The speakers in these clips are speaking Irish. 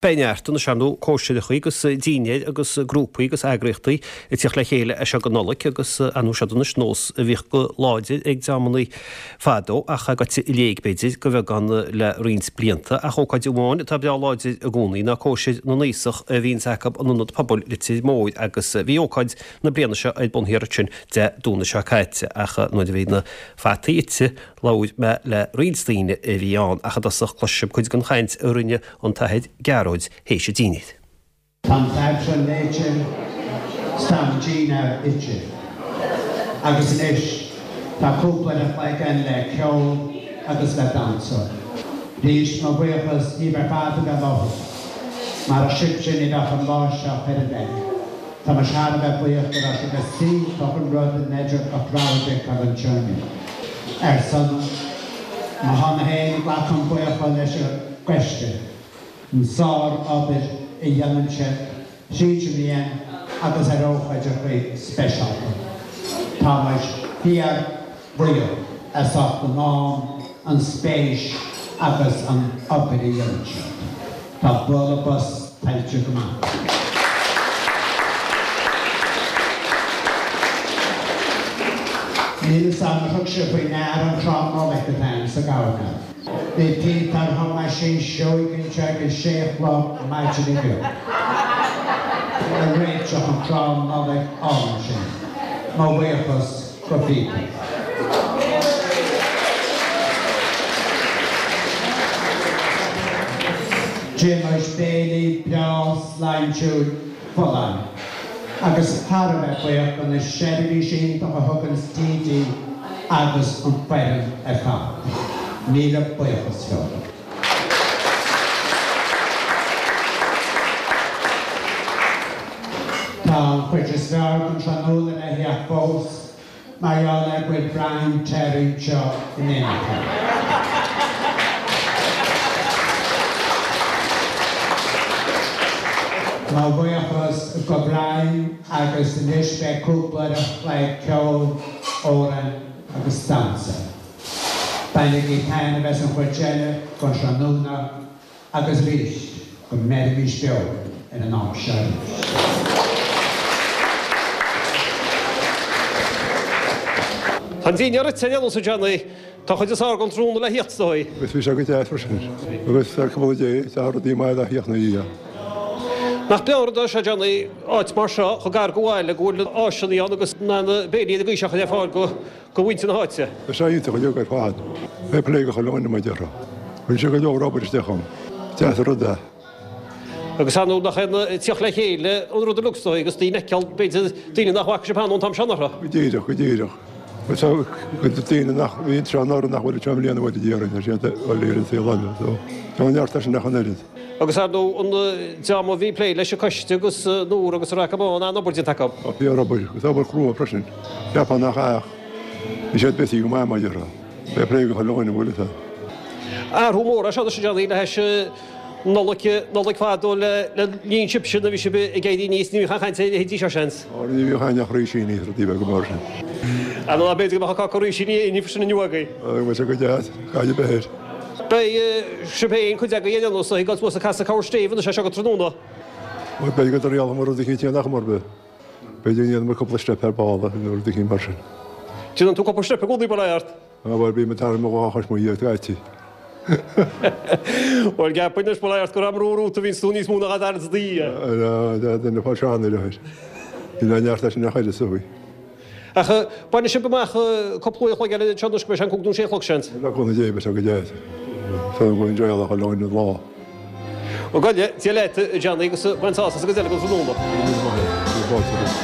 Beidh neart anois ar ndóigh cóisireachaí agus dinnéir agus grúpaí agus eagraíochtaí ag tíocht le chéile as seo go Nollaig agus ar ndóigh seod anois nós a bhíodh go láidir ag dreamannaí fadó ach gaibhte i léig b'fhéidir go bheagán le roinnt blianta. Ach ócáid amháin atá breá láidir i gcónaí ná cóisir na nAosach a bhíonns acu in Ionad Pobail Leitir Móir agus bhí ócáid na bliana seo ar bun thiar ansin Dé Domhnaigh seo caite ach nuair a bhí na fataí ite labhair mé le roinnt daoine a bhí ann ach i dtosach cloisfidh sibh cuid den chaint a rinne an tAthair Gearóid théis an dinnéir. Tá an t-Aifreann léite 's tá an dinnéar ite agus anois tá cúpla uair a chloig againn le ceol agus le damhsa. Arís mo bhuíochas díbh ar fad a bheith i láthair. Marach sibhse ní bheadh an lá seo chor ar bith. Tá muid thar a bheith buíoch go raibh sibh is iontach an rud an oiread crowd a fheiceáil anseo inniu. Ar son mo shon féin glacaim buíochas leis an gcoiste, an sár-obair a dhéanann siad tríd an mbliain agus ar ócáideacha speisialta. Tá muid fíor bhuíoch as ucht an am, an spéis agus an obair a dhéanann siad. Tá bualadh bos tuillte go maith acu. Níl fhios a'm ar thug sibh faoi ndear an crann Nollag atá ann sa gcoirnéal. Bhí Peter Thomáisín Seoighe anseo ag a sé a chlog maidin inniu ag réiteach an crann Nollag álainn sin. Mo bhuíochas. go Peter. D'ith muid béilí breá sláintiúil folláin agus thar a bheith buíoch do na seirbhísí iontach a thuganns DD agus an foireann ar fad. Míle buíochas leo. Tá an chuid is fearr den tráthnóna le theacht fós. Mar gheall ar go bhfuil Brian Terry anseo in éineacht linn. Mo bhuíochas go Brian agus anois beidh cúpla uair a chloig ceoil, amhráin agus damhsa. Bainigí taitneamh as an chuid eile den tráthnóna. Agus arís, go mbeirimis beo ar an am seo arís. Tá an dinnéar ite ar aon nós a Johnny. Tá an chuid is fearr den tráthnóna le thíocht is dóigh. Agus bhí sé go deas freisin. Agus ar cúnamh Dé, tá rudaí maith le thíocht ina dhiaidh. Nach breá an rud é seo Johnny, áit mar seo chomh gar go bhaile go bhfuil áiseanna ann agus na béilí ar an gcaoi seo le fáil go go mhuintir na háite. Tá sé iontach uilig ar fad. Fair play go chuile dhuine mar a déarfá. Rinne sé go leor obair isteach ann. Deas an rud é. Agus ar ndóigh nach é an tíocht le chéile an rud uilig is dóigh agus daoine a fheiceáil, b'fhéidir, daoine nach bhfaca sibh cheana ón t-am seo anuraidh. Go díreach, go díreach. Agus tá cuid de daoine nach bhí anseo anuraidh nach bhfuil anseo i mbliana uair a déarfainn, tá siad uilig ar an saol eile. So, tá neart leis sin ach an oiread. Agus ar ndóigh an dream a bhí ag plé leis an coiste agus Nóra agus an Raca Bán, an-obair déanta acu. Tá fíor-obair, agus obair chrua freisin. Cheapfá nach ea ach bhí siad busy go maith mar a déarfá. Fair play go chuile dhuine, bhfuil fhios a'd. Athrú mór é seo anois a Johnny le hais Nollaig, Nollaig fadó le linn sibhse nuair a bhí sibh ag éirí aníos, ní bhíodh aon chaint ar a leithéidí seo seans. Ó ní bhíodh aon ach rísíní is rudaí beaga mar sin. Ar ndóigh b'fhéidir go mbeadh cáca rísíní inniu sin inniu agaibh. Bheadh sé go deas, caid a bheith air. Beidh sibh féin, cuid agaibh ar aon nós, ag dul suas ag casadh corr stéibh anois as seo go tráthnóna. Bhuel, b'fhéidir go dtriailfidh muid rud eicínt in am ar bith. B'fhéidir go ndéanfaidh muid cúpla steip ar ball nó rud eicínt mar sin. Déanann tú cúpla steip i gcónaí, bail ó Dhia ort. Á, bhuel, bím ag tarraingt mo dhá chois mo dhiaidh scaití. Bhuel, ceapaim anois, bail ó Dhia ort, gur am ró-rút a bhíonns tú níos mó ná dhá dtarraingt do dhiaidh. Á, duine fá sean ar a Níl aon neart leis an neach eile is dóigh. Ach bainfidh sibh amach cúpla uair a chloig eile anseo anois go mbeidh sé an cúig nó sé a chlog, seans. Le cúnamh Dé beidh sé go deas. Tá an ghaoth réalach ar leoin an lá. Ó gabh i leith, Dia leat, a Johnny, agus bain sásamh as an gcuid eile den tráthnóna. Go raibh míle maith agat. Bhí fáilte romhat.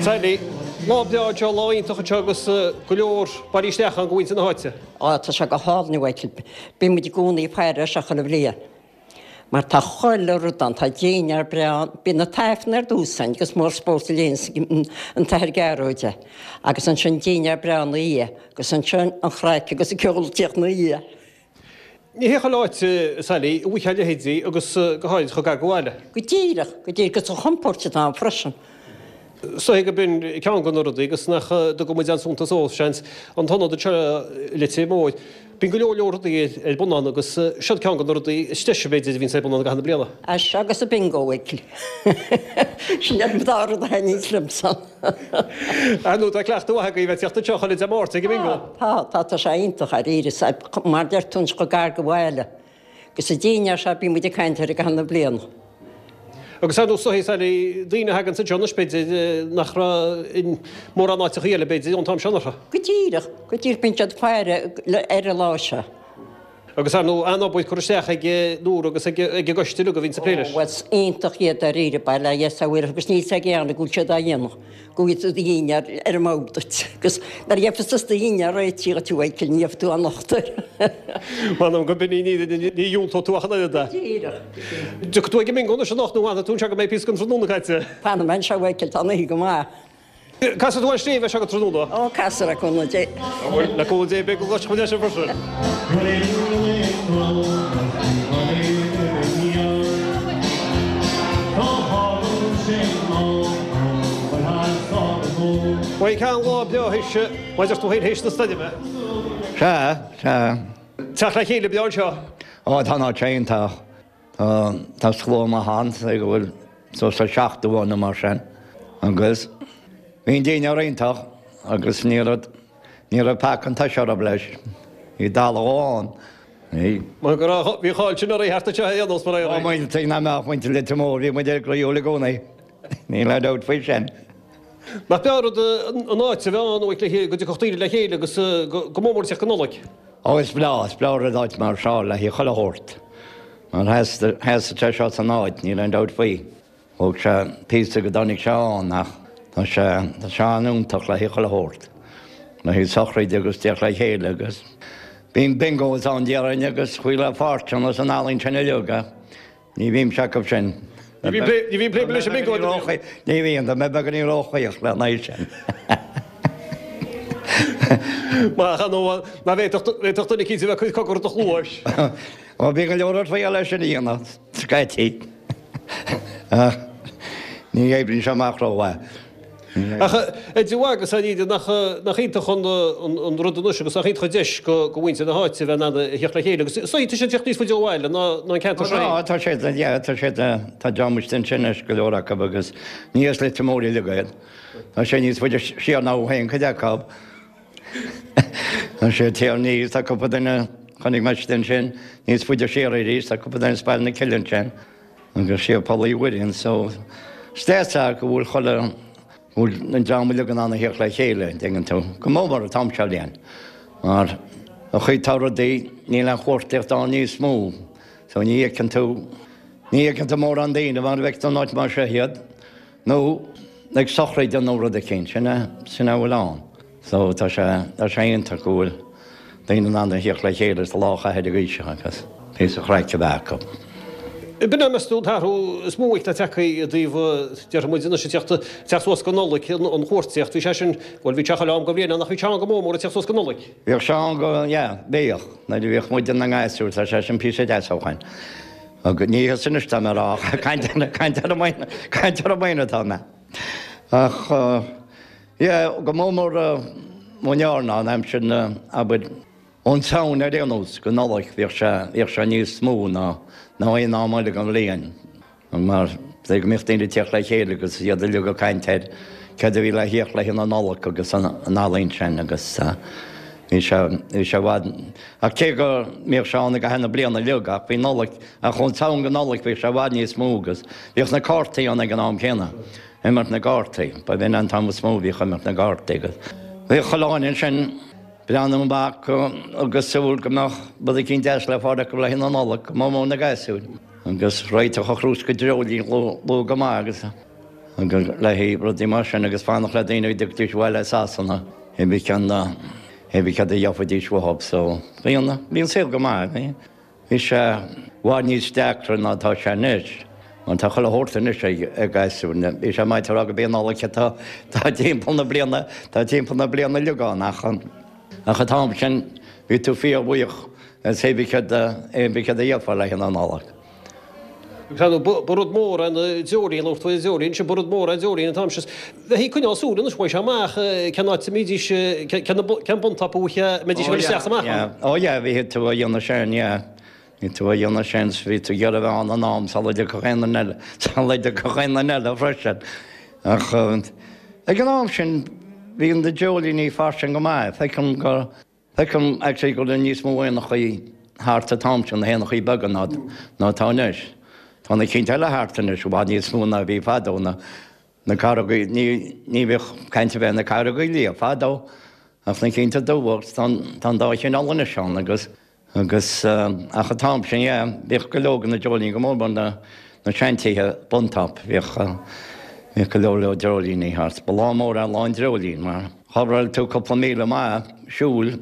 Sally, Lá breá anseo, lá iontach anseo agus go leor bailithe isteach ann go mhuintir na háite. Á, tá sé go hálainn, a Mhichael. Bíonn muid i gcónaí ag faire air seo chuile bhliain. Mar tá chuile rud ann, tá dinnéar breá ann, bíonn an t-aifreann ar dtús ann agus mórspórt a léanns an tAthair Gearóid é, agus ansin dinnéar breá ina dhiaidh, agus ansin an chraic agus an ceol ag tíocht ina dhiaidh. Ní hé chuile áit, a Sally, a bhfaighfeá a leithéidí agus go háirid chomh gar go bhaile. Go díreach, go díreach, agus an chontúirt atá ann freisin. Is dóigh gurb in ceann de na rudaí agus nach dtugann muid aon suntas dó, seans, an t-ionad anseo i Leitir Móir. Bíonn go leor leor rudaí ar bun ann agus siod ceann de na rudaí is deise, b'fhéidir, a bhíonns ar bun ann i gcaitheamh na bliana. É seo agus an bingo, a Mhichíl. Sin iad an dá rud a thaitníonns liomsa. Ar ndóigh, tá cleachtadh mhaith agaibh ag teacht anseo chuile Dé Máirt ag an mbingo. Tá, tá, tá sé iontach dáiríre, mar deir tú anois chomh gar do bhaile. Agus an dinnéar seo, bíonn muid ag caint air i gcaitheamh na bliana. Agus ar ndóigh, is dóichí, Sally, daoine a thaganns anseo anois, b'fhéidir, nach raibh in mórán áiteachaí eile, b'fhéidir, ón t-am seo anuraidh. Go díreach, go díreach, bíonn siad ag faire ar an lá seo. Agus ar ndóigh, an-obair curtha isteach ag Nóra agus ag an gcoiste uilig a bhíonns ag plé leis. Ó, bhuel, is iontach iad dáiríre, bail ó Dhia orthu agus níl 's ag éinne go bhfuil siad á dhéanamh. Go bhfuil do dhinnéar ar an mbord duit agus nuair a gheofas tusa do dhinnéar réitithe dhuit a Mhichíl ní gheobhaidh tú aon locht air. M'anam go binn í ní dhiúltóidh tú ach an oiread é. Díreach. Tiocfaidh tú ag an mbingo anois anocht nó fanfaidh tú anseo go mbeidh píosa den tráthnóna caite? Fanfaidh mé anseo a Mhichíl, tá an oíche go maith. Casfaidh tú an sléibhe seo go tráthnóna? Ó, casfar, le cúnamh Dé. Le cúnamh Dé, beidh go gcloisfidh muid é sin freisin. Bhuel, ceann lá breá théis, mar a deir tú féin, théis na stoirme. Sea, sea. Teacht le chéile breá anseo. Ó, tá an áit seo iontach. Tá, tá slua maith ann, is dóigh go bhfuil suas le 70 ann nó mar sin. Agus bhí an dinnéar iontach agus ní raibh, ní raibh peaca an tuise orthu leis. Bhí dalladh ann. Bhí. Mar go raibh, bhí an cháil sin oraibh thart anseo ar aon nós, mar a. Ó, muintir nach mbeadh muintir Leitir Móir, bhí muid groíúil i gcónaí. Níl aon dabht faoi sin. Nach breá an rud an áit a bheith ann uait le chéile, go dtiocfadh daoine le chéile agus go mór mór ag teacht go Nollaig. Ó is breá, is breá an rud áit mar seo le haghaidh chuile shórt. Mar sheasann sé seo san áit, níl aon dabht faoi. Thóg sé píosa go dtáinig sé ann ach tá sé, tá sé an-iontach le haghaidh chuile shórt. Le haghaidh sochraide agus teacht le chéile agus bíonn bingos ann déarfainn agus chuile pháirt ann as an ealaín sin uilig ach Ní bhímse acu sin. Ní bhíonn plé leis an mbingo ag an bhíonn. Ní bhíonn, tá mé beagáinín róchaoch lena aghaidh sin. Maith an nó ná bhféadfadh duine eicínt a bheith ag cur cogar i do chluais. Ó bhí go leor ag triail é sin a dhéanamh, scaití. Ach ní oibríonn sé amach rómhaith. Ach a Dia agus a Íde, nach iontach an rud anois agus nach iontach an deis do mhuintir na háite a bheith in ann a theacht le chéile agus is dóigh tá siad ag teacht níos faide ó bhaile ná an ceantar seo féin. Tá, tá siad, yeah, tá siad, tá dream istigh ansin anois, go leor acu agus ní as Leitir Móir uilig iad. Tá sé níos faide siar ná féin cuid acu. Tá sé ag aníos, tá cúpla duine, chonaic mé istigh ansin, níos faide siar arís, tá cúpla duine as Baile na Cille ansin. Agus siar Poll Uí Mhuirinn so is deas é go bhfuil chuile, go bhfuil an dream uilig in ann a theacht le chéile, an dtuigeann tú, go mór mór an t-am seo bhliain. Mar an chaoi atá rudaí, níl aon chuartaíocht ann níos mó so ní fheiceann tú, ní fheiceann tú mórán daoine mar a bhfeiceann tú in áit mar seo iad. Nó ag sochraid nó rud eicínt, sin é, sin é a bhfuil ann. So tá sé, tá sé iontach go bhfuil daoine in ann a thíocht le chéile sa lá a chaitheamh ag aoiseach agus píosa craic a bheith acu. B'in é, meas tú, an t-athrú is mó atá tagtha i dtaobh, déarfaidh muid anois, ag teacht, teacht suas go Nollaig, an chuartaíocht, bhí sé sin, bhuel, bhí sé chuile am den bhliain ann ach bhí sé ann go mór mór ag teacht suas go Nollaig. Bhíodh sé ann go, yeah, bhíodh, nuair a bhíodh muid inár ngasúir, tá sé sin píosa deas ó shoin. Agus ní thusa anois tá mé a rá ach caint caint ar an maoin caint ar an maoin atá mé. Ach yeah go mór mór mo ndearna an aimsir na abair ón tSamhain ar aon nós go Nollaig bhíodh sé bhíodh sé níos mó ná ná aon am eile den bhliain. Mar go mbeadh daoine ag tíocht le chéile agus iad uilig ag caint ar céard a bhí le híoc le haghaidh na Nollag agus an ealaín sin agus bhí sé, bhí sé i bhfad, ach cé go mbíodh sé ann i gcaitheamh na bliana uilig ach bhí Nollaig, ach ón tSamhain go Nollaig bhíodh sé i bhfad níos mó agus bhíodh na cártaí ann ag an am céanna, imirt na gcártaí, ba bh'in an t-am is mó a bhíodh imirt na gcártaí agus bhíodh chuile dhuine ansin breathnú amach agus súil go mbeadh rud eicínt deas le fáil acu le haghaidh na Nollag, go mór mór na gasúir. Agus réiteach an chrúsca dreoilín luath go maith agus agus le haghaidh rudaí mar sin agus fanacht le daoine go dtiocfaidís abhaile as Sasana hé bí ceann hé bí cad a gheofaidís uathub so bhí an bhí an saol go maith bhí bhí sé i bhfad níos deacra ná atá sé anois mar tá chuile shórt anois ag ag gasúir bhí sé maith a rá go b'é an Nollaig atá tá timpeall na bliana tá timpeall na bliana uilig ann ach ach an t-am sin bhí tú fíorbhuíoch Is hé bí cad é bí cad a gheofá le haghaidh na Nollag. Agus ba rud mór é an dreoilín, labhair tú ar an dreoilín sin, ba rud mór é an dreoilín an t-am sin. Bheifí ag coinneáil súil anois, bhfaigheadh sé amach cén áit a mbídís, cén bun-top a mbeidís ag dul isteach is amach ann. Ó yeah, bhí tú á dhéanamh sin, yeah. Bhí tú á dhéanamh sin, bhí tú ag iarraidh a bheith ann in am sula dtiocfadh aon duine eile, sula dtiocfadh aon duine eile freisin. Ach ag an am sin bhí na dreoilíní fairsing go maith. Feicim go. Feicim actually go raibh níos mó éanachaí thart an t-am sin, na héanachaí beaga, ná ná atá anois. Tá na cinn eile thart anois i bhfad níos mó ná a bhí fadó, na na caragaí, ní ní bhíodh caint ar bith ar na caragaí liath fadó ach na cinnte dubha agus tá an tá an dá chineál anois ann agus Agus, ach an t-am sin, yeah, bhíodh go leor de na dreoilíní, go mór mór na, na seantithe bun-top, bhíodh, bhíodh go leor leor dreoilíní thart. Ba lá mór é lá an dreoilín mar chórail tú cúpla míle maith siúil.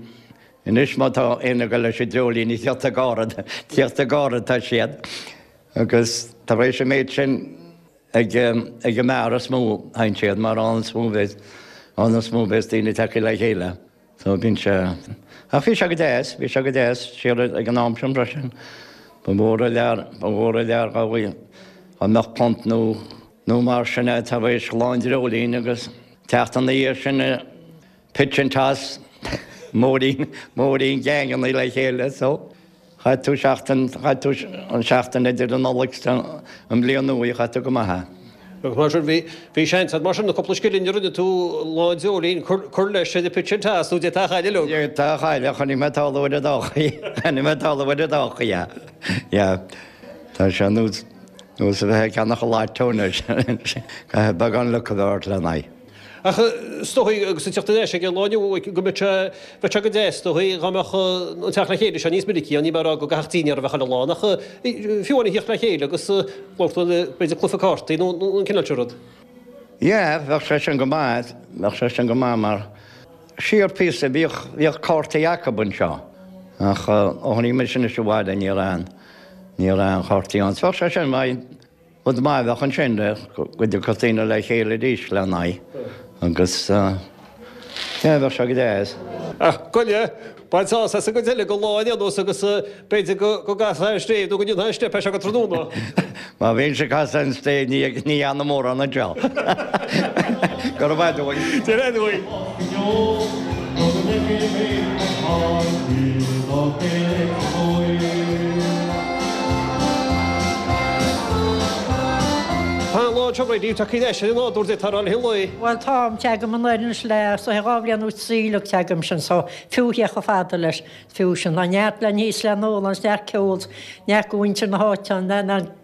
Anois má tá éinne ag dul leis an dreoilín giota gairid, giota gairid tá siad. Agus tar éis an méid sin ag, ag an mbeár is mó a théann siad mar ann is mó a bheas, ann is mó a bheas daoine tagtha le chéile. So bíonn sé, ach bhí sé go deas, bhí sé go deas siar ag an am sin freisin. Ba mhór an lear, ba mhór an lear dá dá mbeadh punt nó, nó mar sin é tar éis lá an dreoilín agus teacht ina dhiaidh sin pitch and toss, móirín, móirín geaingeanna le chéile so. Chaith tú seachtain, chaith tú an seachtain idir an Nollaig 's an mBliain Nua, chaith tú go maith é. Agus mar sin, bhí, bhí seans agat mar sin na cúpla scilling a rinne tú lá an dreoilín cur, cur leis ar an pitch and toss nó d'fhéadfá a chailleadh uilig. D'fhéadfá a chailleadh, chonaic mé tarlú ar an dá chaoi, chonaic mé tarlú ar an dá chaoi, yeah. Yeah. Tá sé nós, nós a bheith ag ceannach an lotto anois, caithfidh beagán luck a bheith ort lena aghaidh. Ach is dóigh, agus ag teacht ar ais ag an lá inniu, go mbeadh sé, bheadh sé go deas, is dóigh, dá mbeadh an teacht le chéile seo níos minicí ann, níl mé ag rá go gcaithfeadh dinnéar a bheith chuile lá, ach fiú amháin a thíocht le chéile agus labhairt b'fhéidir cluiche cártaí nó an cineál sin rud. Yeah, bheadh sé sin go maith, bheadh sé sin go maith mar siar píosa bhíodh, bhíodh cártaí acub anseo ach ó tháinig mise anois abhaile ní raibh aon, ní raibh aon chártaí ann. So bheadh sé sin maith. Rud maith a bheadh ansin go dtiocfadh daoine le chéile arís lena aghaidh agus yeah bheadh sé go deas. Ach gabh i leith, bain sásamh as an gcuid eile den lá ar aon nós agus b'fhéidir go gcasfá an stéig nó go ndéanfá an steip as seo go tráthnóna. Má bhíonn ag casadh an stéig ní dhéanaim mórán anseo. Go raibh maith agat. Dia duit. Tá an lá anseo réidh, tá cuid eisir an nádúr de, tá rá le lae. Bhuel táim, teagaim anoir anois le is dóiche 2 bhliain nó 3 uilig teagaim sin so fiú theach chomh fada leis, fiú sin. Tá neart le n-ithe is le n-ól ann, neart ceol, neart go mhuintir na háite ann,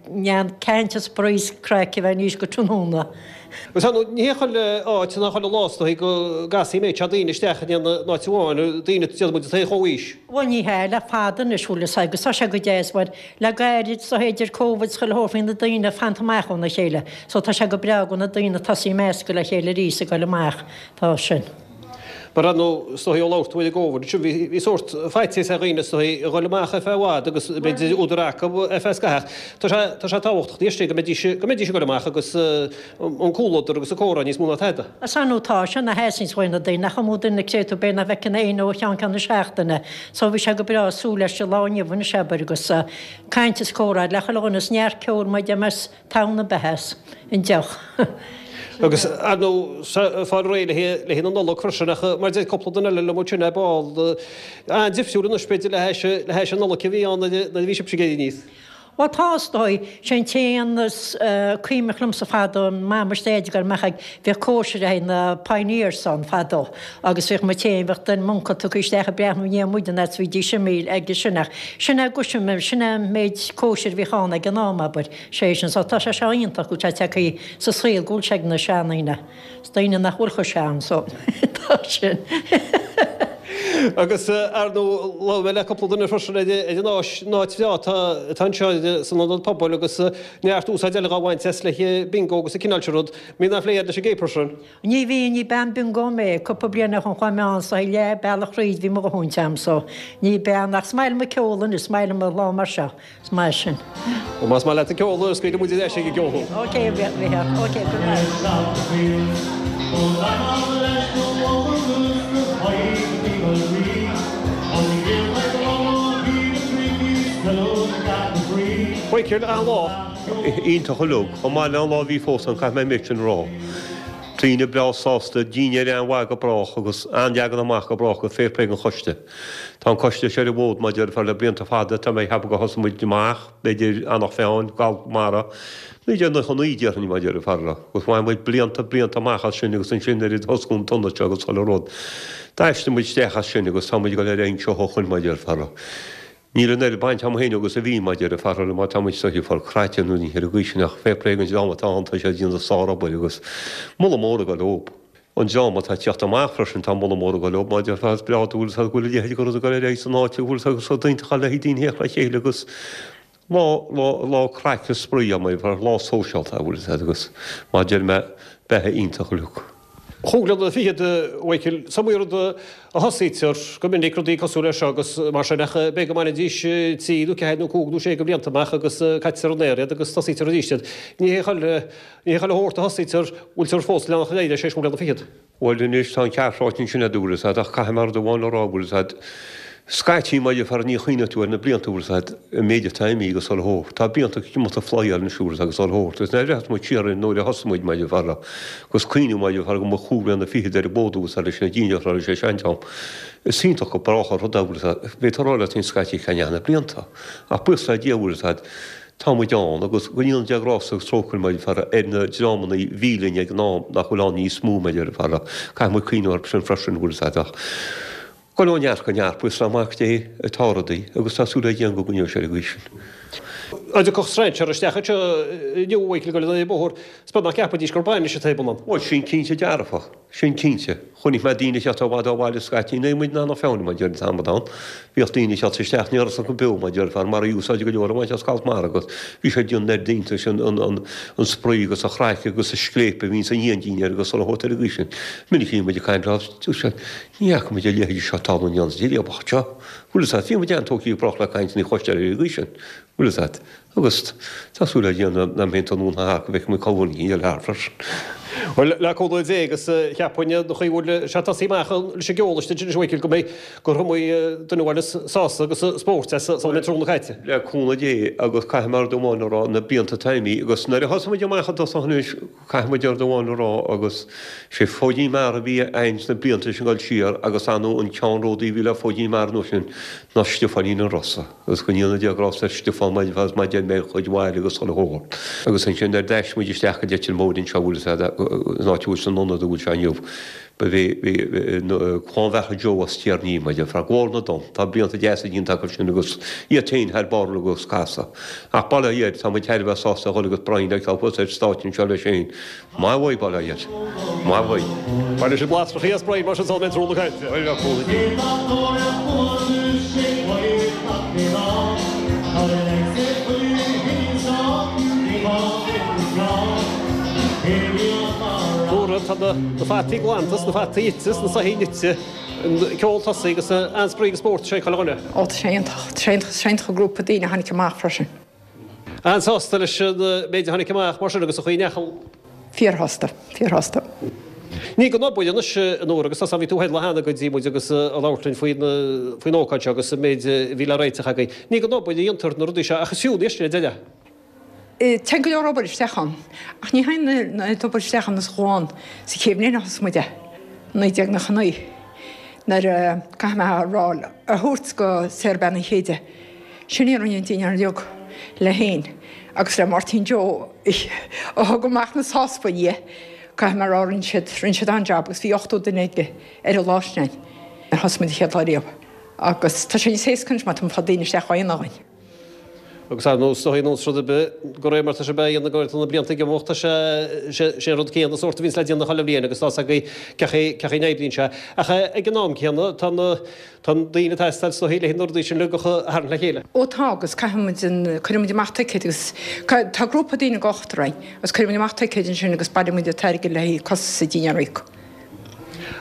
neart caint is spraoi is craic a bheith anois go tráthnóna. Agus ar ndóigh, ní hé chuile áit ná chuile lá is dóigh go gcasfaí an méid seo daoine isteach in aon áit amháin, daoine déarfaidh muid atá ar chomhaois. Bhuel ní hea, le fada anois bhfuil fhios agat agus tá sé go deas mar le gairid is dóiche idir Covid is chuile shórt bhí na daoine ag fanacht amach óna chéile so tá sé go breá go bhfuil na daoine ag tosaí ag meascadh le chéile arís ag dul amach, tá sin. Mar ar ndóigh, is dóigh ó labhair tú ar an gCovid sin, bhí sórt faitíos ar dhaoine is dóigh a dhul amach ar feadh i bhfad agus b'fhéidir údar acu ar feadh scaithimh. Tá sé, tá sé tábhachtach anois go mbeidís, go mbeidís ag dul amach agus an comhluadar agus an comhrá níos mó ná tada. Is ar ndóigh tá sé ina sheasamh uaidh na daoine, nach iomaí duine cé tú b'fhéidir nach bhfeiceann éinne ó cheann ceann na seachtaine. So bhí sé go breá súil leis an lá inniu anois abair agus caint is comhrá le chuile dhuine is neart ceoil mar a deir mé is Tonn na beatha as an deoch. Agus, ar ndóigh, fáil réidh le haghaidh na Nollag freisin, ach mar a deir cúpla duine eile liom ansin ar ball, an-difriúil anois, b'fhéidir, le hais, le hais an Nollaig a bhí ann nuair a bhí sibhse ag éirí aníos. Bhuel, tá, is dóigh. Sé an t-aon is cuimhneach liomsa fadó, Mam is Daid ag dul amach ag, bhíodh cóisir ag na Pioneers ann fadó agus bhíodh muid féin, bheadh duine, m'uncail tugtha isteach ag breathnú i ndiaidh muid an fhad is bhídís imithe aige sin ach sin é guaisim, sin é an méid cóisir a bhíodh ann ag an am, abair. Sé sin, so tá sé seo iontach go bhfuil sé tagtha sa saol, go bhfuil sé ag na seandaoine, is daoine nach bhfuil chomh sean, so tá sin. Agus ar ndóigh, labhair mé le cúpla duine freisin ar an áis, an áit bhreá atá atá anseo san ionad pobail agus neart úsáid eile dhá bhaint as le bingo agus an cineál sin rud. Mbíonn an-phlé agat leis an gcéapar sin. Ní bhíonn, ní bean bingo mé. Cúpla bliain ó shin chuaigh mé ann so leath bealach thríd bhí mo dhóthain agam so ní bean ach is maith liom an ceol anois, is maith liom an lá mar seo. Is maith sin. Bhuel, más maith leat an ceol, scaoilfidh muid ar ais ag an gceol thú. Ok, a Mhícheáil. Ok, good night. Mhichíl, an lá. Iontach uilig. Chomh maith le an lá a bhí fós ann, caithfidh mé an méid sin a rá. Daoine breá sásta, dinnéar an-mhaith go brách agus an-leagan amach go brách agus fair play don choiste. Tá an coiste seo ar an bhfód mar a déarfá le blianta fada, tá mé ag ceapadh gur thosaigh muid amach, b'fhéidir, Eanach Mheáin, Scoil Mara, 1999 déarfainn mar a déarfá agus bhain muid blianta, blianta amach as sin agus ansin nuair a osclaíodh an t-ionad seo agus chuile rud, d'aistrigh muid isteach as sin agus tá muid ag dul ar aghaidh anseo ó shoin mar a déarfá. Níl an oiread baint agam féin agus a bhí mar a déarfá mar tá muid ag fáil cráite nó ní ar an gcaoi sin ach fair play don dream atá ann, tá siad ag déanamh sár-obair agus moladh mór ag dul leob. An dream atá ag teacht amach freisin, tá moladh mór ag dul leob mar a déarfá, is breá dúil go bhfuil a leithéid de rud ag dul ar aghaidh san áit, go bhfuil agus rud iontach le haghaidh daoine theacht le chéile agus lá, lá, lá craic is spraoi mar a déarfá, lá sóisialta a bhfuil fhios agat agus mar a deir mé, beatha iontach uilig. Chúig bhliana fichead, a Mhichael, is iomaí rud a thosaítear go minic, rudaí cosúil leis seo agus mar sin, ach b'fhéidir go mbainfidís trí nó ceathair nó cúig nó sé de bhlianta amach agus caitear an aer iad agus tosaítear arís iad. Ní hé chuile Ní hé chuile shórt a thosaítear, bhfuiltear fós ag leanacht ar aghaidh leis théis cúig bliana fichead. Bhuel anois tá an ceart ráite ansin agat, bhfuil fhios agat, ach caithfidh mé rud amháin a rá, bhfuil fhios agat, scaití mar a déarfá ní chuimhneoidh tú ar na blianta, bhfuil fhios agat, an méid atá imithe agus chuile shórt. Tá blianta ag imeacht ag flyáil anois, bhfuil fhios agat, agus chuile shórt. Agus nuair a bhreathnaíos muid siar ar nuair a thosaigh muid mar a déarfá, agus cuimhniú mar a déarfá go mba chúig bliana fichead ar an bhfód bhfuil fhios agat leis na daoine a raibh sé sean am. Is iontach go brách an rud é, bhfuil fhios agat, b'fhéidir a rá leat féin scaití cá ndeachaigh na blianta. Ach buíochas le Dia, bhfuil fhios agat, Tá muid ann, agus go ndéana Dia grásta agus trócaire mar a déarfá ar na dreamanna a bhí linn ag an am nach bhfuil ann níos mó mar a déarfá. Caithfidh muid cuimhneamh orthu sin freisin, bhfuil fhios agat, ach dul ó neart go neart, buíochas le Mac Dé atá rudaí agus tá súil ag Dia go gcoinneoidh sé ar an gcaoi sin. Dá dtiocfadh strainséir isteach anseo inniu, a Mhichael, ag dul an bóthar, is beag nach gceapfaidís gur bainis atá ar bun ann. Bhuel, sin cinnte dearfach. Sin cinnte. Chonaic mé daoine ag teacht ó i bhfad ó bhaile scaití. Nuair a bhí muid in Eanach Mheáin, mar a deir an t-amadán. Bhíodh daoine ag teacht isteach, ní raibh acu beo, mar a déarfá, mar a úsáideadh go leor a bhaint as Scoil Mara agus bhí sé ag déanamh oiread iontais an spraoi agus an chraic agus an scléip a bhíonn sa ndíon agus chuile shórt ar an gcaoi sin. Minic a bhí muid ag caint leo, dúirt siad, ní fhaca muid a leithéid seo tarlú in aon díréabach anseo. Bhfuil fhios agat, bhí muid an-tógtha ag brách le cainteanna a chloisteáil ar an gcaoi sin. Bhfuil fhios agat. Agus tá súil le Dia nach mbeidh an tonn thart go bhfeicfidh muid cá bhfuil an thart freisin. Bhuel, le cúnamh Dé agus cheapfainn an chaoi a bhfuil sé tosaithe amach leis an gceol istigh anois a Mhichael go mbeidh gur iomaí duine a bhaineas sásamh agus spórt as sula mbeidh an tráthnóna caite. Le cúnamh Dé agus caithfidh mé rud amháin a rá, na blianta atá imithe agus nuair a thosaigh muid amach i dtosach anois, Caithfidh muid rud amháin a rá agus sé Fóidín Meara a bhí againn sna blianta sin ag dul siar agus ar ndóigh an ceannródaí a bhí le Fóidín Meara an uair sin ná Stiofáinín an Rosa agus go ndéana Dia grásta ar Stiofán mar a mar a deir mé a chuid mhaith agus chuile shórt. Agus ansin nuair d'aistrigh muid isteach go Leitir Móir anseo bhfuil fhios agat an áit a bhfuil san ionad a bhfuil sé inniu ba bhí Clann Bheartha Joe as Tír Ní mar a déarfá Glór na dTonn. Tá blianta deasa déanta acu sin agus iad féin thar barr agus casadh. Ach bail ó Dhia air, tá muid thar a bheith sásta a dhul agus Brian a fheiceáil thuas ar stáitse anseo leis féin. Maith uaidh, bail ó Dhia air. Maith uaidh. Bainfidh siad lasrachaí as Brian mar sin sula mbeidh an tráthnóna caite. Bhuel, le cúnamh Dé. Nóra, tá na fataí glanta, 's na fataí ite, 's na soithí nite, an ceol tosaithe agus an-spraoi agus spórt ag chuile dhuine. Ó, tá sé iontach. Tá sé iontach. Tá sé iontach an grúpa daoine a tháinig amach freisin. An-sásta leis an méid a tháinig amach mar sin agus an chaoi a ndeachaigh. Fíorshásta. Fíorshásta. Ní gan obair anois, a Nóra, agus tá, bhí tú thoir lá cheana go dtí muid agus ag labhairt linn faoin faoin ócáid seo agus an méid a bhí le réiteach agaibh. Ní gan obair a dhéantar na rudaí seo ach is fiú an isteach deireadh. Téann go leor obair isteach ann, ach ní théann an oiread obair isteach ann is a chuaigh ann sa chéad bhliain a thosaigh muid é, 1999, nuair a, caithfidh mé a rá, a thabhairt go Sarah Bean Uí Chéide, sin í a rinne an dinnéar uilig léi féin agus le Máirtín Joe a thug amach na sáspaí, caithfidh mé a rá, rinne siad, rinne siad an-jab agus bhí 80 duine ag, ar an lá sin nuair a thosaigh muid an chéad lá riamh agus tá sé níos éasca anois mar tá muid ag fáil daoine isteach á dhéanamh againn. Agus ar nós, is dóigh, nós rud ar bith, de réir mar tá sé á dhéanamh go tá na blianta ag imeacht, tá sé, sé an rud céanna sórt a bhíonns le déanamh chuile bhliain agus tá's agaibh cén chaoi, cén chaoi a n-oibríonn sé. Ach ag an am céanna, tá na, tá na daoine ag teastáil is dóigh le na rudaí sin uilig a tharraingt le chéile. Ó tá, agus caithfidh muid an, cuireann muid amach ticéid agus tá grúpa daoine ag ochtar againn agus cuireann muid amach ticéid ansin agus bailíonn muid an t-airgead le haghaidh costas an dinnéar a íoc.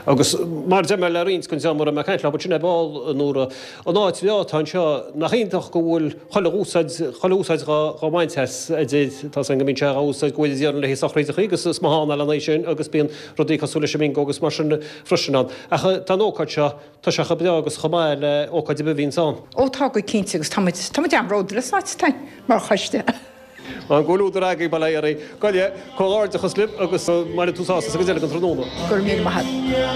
Agus mar a deir mé le roinnt den dream a raibh mé ag caint leo ansin ar ball, a Nóra, an áit bhreá atá anseo, nach iontach go bhfuil chuile úsáid, chuile úsáid dhá bhaint as, a deir, tá's againn go mbíonn sé dhá úsáid go bhfuil a d'iarrann le haghaidh sochraídeachaí agus is maith ann ealaíona sin agus bíonn rudaí cosúil leis an mbingo agus mar sin freisin ann. Ach tá an ócáid seo, tá sé chomh breá agus chomh maith le ócáid ar bith a bhíonns ann. Ó tá go cinnte agus tá muid, tá muid an-bhródúil as an áit atá againn mar choiste. Tá an comhluadar agaibh, bail ó Dhia oraibh. Gabh i leith, comhghairdeachas libh agus go mbaine tú sásamh sa gcuid eile den tráthnóna. Go raibh míle maith agat.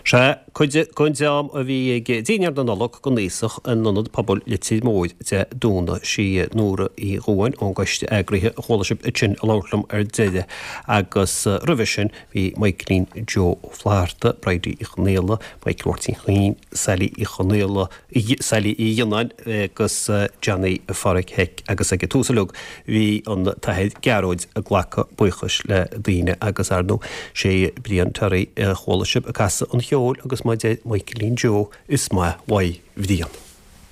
Sea, cuid den dream a bhí ag Dinnéar na Nollag don Aosach in Ionad Pobail Leitir Móir Dé Domhnaigh. Sí Nóra Uí Dhubháin ón gcoiste eagraithe a chuala sibh ansin ag labhairt liom ar deireadh agus roimhe sin bhí Michaelín Joe Ó Flatharta, Bridie Uí Chonaola, Michael Mháirtín Chuinn, Sally Uí Chonaola, Sally Uí Ghionnáin agus Johnny Pháraic Heck agus ag an tús uilig bhí an tAthair Gearóid ag glacadh buíochais le daoine agus ar ndóigh sé Brian Terry a chuala sibh ag casadh an cheoil agus mar a deir Michaelín Joe is maith uaidh Bhrian.